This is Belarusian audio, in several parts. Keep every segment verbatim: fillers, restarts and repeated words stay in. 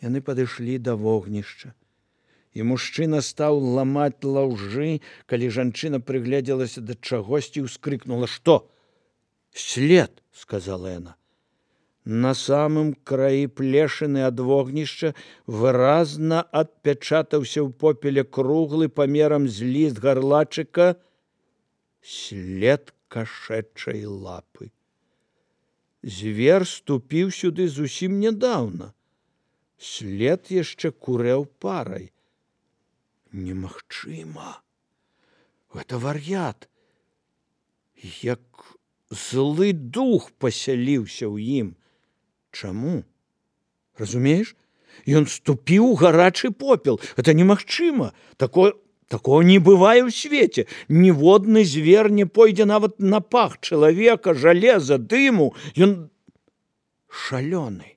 Яны падышлі да вогнішча. І мужчына стаў ламаць лаўжы, калі жанчына прыгледзелася да чагосьці і ўскрыкнула: «Што?» «След», — сказала яна. На самым краі плешыны ад вогнішча выразна адпячатаўся ў попеле круглы памерам з ліст гарлачыка след кашэчай лапы. Звер ступіў сюды зусім нядаўна. След яшчэ курэў парай. Немагчыма. Гэта вар'ят. Як злы дух пасяліўся ў ім. Чаму? Разумееш? Ён ступіў у гарачы попел. Гэта немагчыма. Такое, такого не бывае ў свеце. Ніводны звер не пойдзе нават на пах чалавека, жалеза, дыму. Ён шалёны.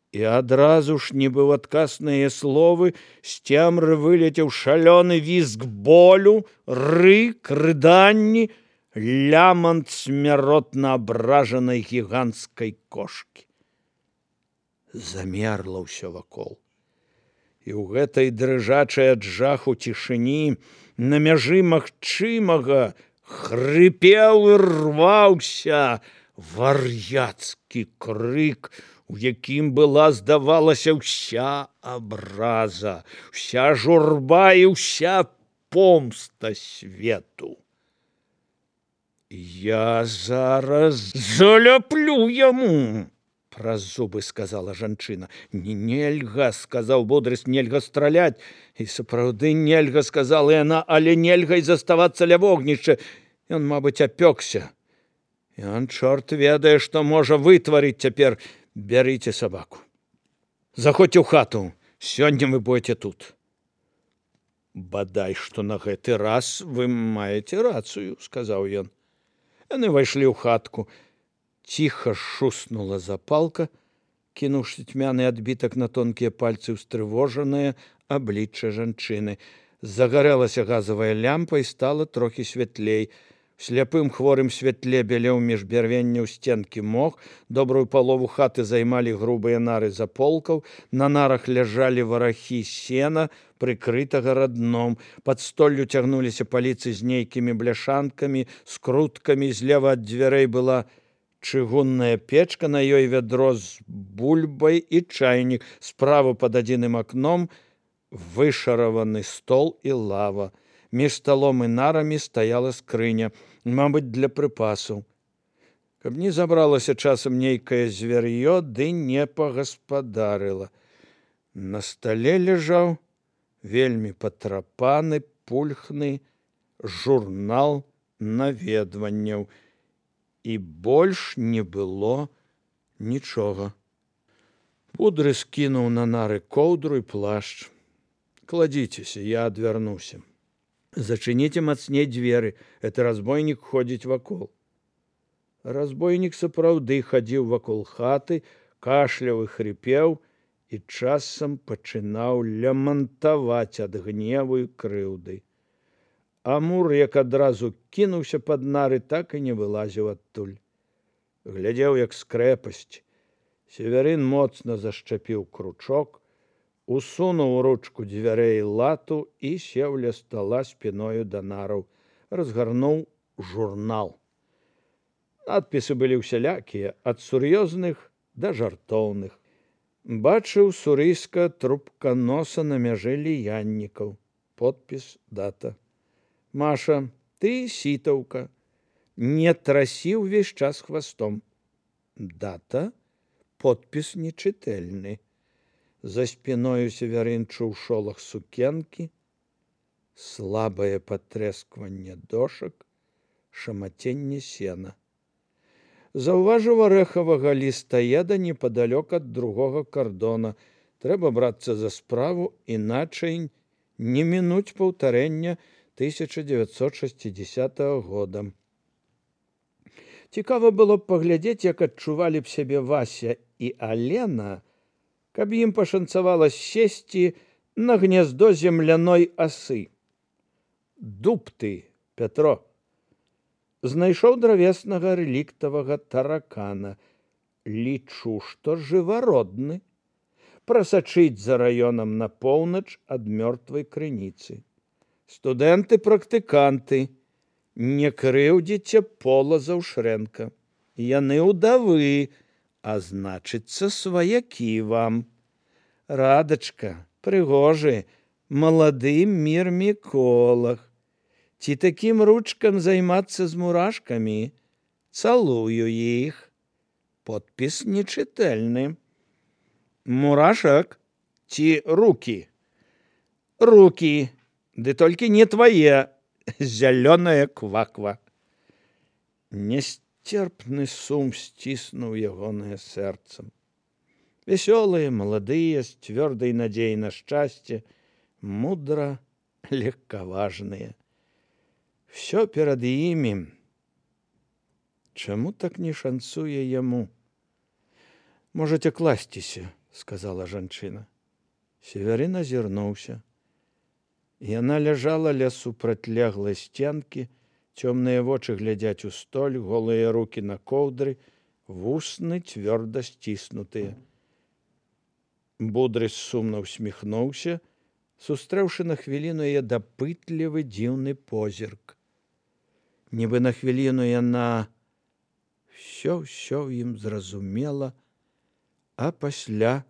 І адразу ж, нібы ў адказ на яе словы, з цемры вылецеў шалёны візг болю, рык, рыданні, лямант смяротна абражанай гіганцкай кошкі. Замерла ўсё вакол. І ў гэтай дрыжачай ад жаху цішыні на мяжы магчымага хрыпеў і рваўся вар'яцкі крык, у якім была, здавалася, ўся абраза, ўся журба і ўся помста свету. «Я зараз заляплю яму!» — праз зубы сказала жанчына. «Нельга!» — сказаў Будрыс, «нельга страляць!» І сапраўды нельга, сказала яна, але нельга і заставацца ля вогнішча. Ён, мабыць, апёкся. Ён, чорт ведае, што можа вытварыць цяпер. Бярыце сабаку. Заходзьце ў хату. Сёння вы будзеце тут. Бадай, што на гэты раз вы маеце рацыю, сказаў ён. Яны ўвайшлі ў хатку. Ціха шуснула запалка, кінуўшы цьмяны адбітак на тонкія пальцы ўстрывожанае аблічча жанчыны. Загарэлася газавая лямпа і стала трохі святлей. В сляпым хворым святле бялеў між бярвенняў сценкі мох, добрую палову хаты займалі грубыя нары заполкаў, на нарах ляжалі варахі сена, прыкрытага радном, пад столлю цягнуліся паліцы з нейкімі бляшанкамі, скруткамі, злева ад дзвярэй была чыгунная печка, на ёй вядро з бульбай і чайнік, справа пад адзіным акном вышараваны стол і лава. Між сталом і нарамі стаяла скрыня, мабыць, для прыпасаў. Каб не забралася часам нейкае звяр'ё, ды не пагаспадарыла. На стале ляжаў вельмі патрапаны, пульхны журнал наведванняў. І больш не было нічога. Будрыс скінуў на нары коўдру і плашч. «Кладзіцеся, я адвярнуся. Зачыніце мацней дзверы, это разбойнік ходзіць вакол». Разбойнік сапраўды хадзіў вакол хаты, кашляў і хрипеў, і часам пачынаў лямантаваць ад гневу і крыўды. Амур, як адразу кінуўся пад нары, так і не вылазіў адтуль. Глядзеў, як з крэпасці. Северын моцна зашчапіў кручок, усунуў у ручку дзвярэй лату і сеў ля стала спіною да нараў, разгарнуў журнал. Надпісы былі ўсялякія, ад сур'ёзных да жартоўных. Бачыў сурыска трубканоса на мяжы ліяннікаў. Подпіс, дата. «Маша, ты сітаўка. Не трасі ўвесь час хвастом». Дата, подпіс нечытэльны. За спіною Северын чуў шолах сукенкі, слабае патрэскванне дошак, шамаценне сена. Заўважыў арэхавага лістаеда непадалёк ад другога кардона. Трэба брацца за справу, іначай не мінуць паўтарэння тысяча дзевяцьсот шасцідзясятага года. Цікава было б паглядзець, як адчувалі б сябе Вася і Алена, каб ім пашанцавала сесці на гняздо земляной асы. «Дуб ты, Пятро!» Знайшоў дравеснага рэліктавага таракана. «Лічу, што жывародны. прасачыць за раёнам на поўнач ад мёртвай крыніцы. Студэнты-практыканты, не крыўдзіце Пола Заўшрэнка. Яны ўдавы, а значыцца, сваякі вам. Радачка, прыгожы, малады мірміколаг. Ці такім ручкам займацца з мурашкамі? Цалую іх. Подпіс нечытальны. Мурашак ці рукі? Рукі, ды толькі не твае, зялёная кваква. Нясцерпны сум сціснуў ягонае сэрца. Вясёлыя, маладыя, з цвёрдай надзеяй на шчасце, мудра легкаважныя. Всё перад імі. Чаму так не шанцуе яму? Можаце класціся, сказала жанчына. Севярын азірнуўся. Яна ляжала ля супрацьлеглай сценкі, цёмныя вочы глядзяць у столь, голыя рукі на коўдры, вусны цвёрда сціснутыя. Будрыс сумна ўсміхнуўся, сустрэўшы на хвіліну яе дапытлівы дзіўны позірк. Нібы на хвіліну яна ўсё-ўсё ім зразумела, а пасля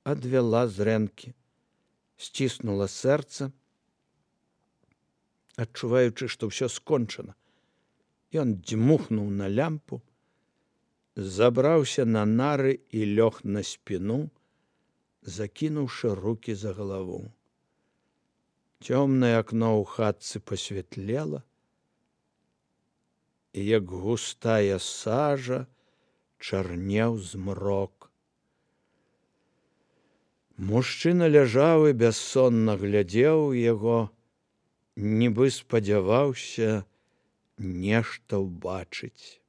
адвяла зрэнкі, сціснула сэрца, адчуваючы, што ўсё скончана. Ён дзьмухнуў на лямпу, забраўся на нары і лёг на спіну, закінуўшы рукі за галаву. Цёмнае акно ў хатцы пасвятлела, і як густая сажа чарнеў змрок. Мужчына ляжаў і бяссонна глядзеў у яго, нібы спадзяваўся нешта ўбачыць.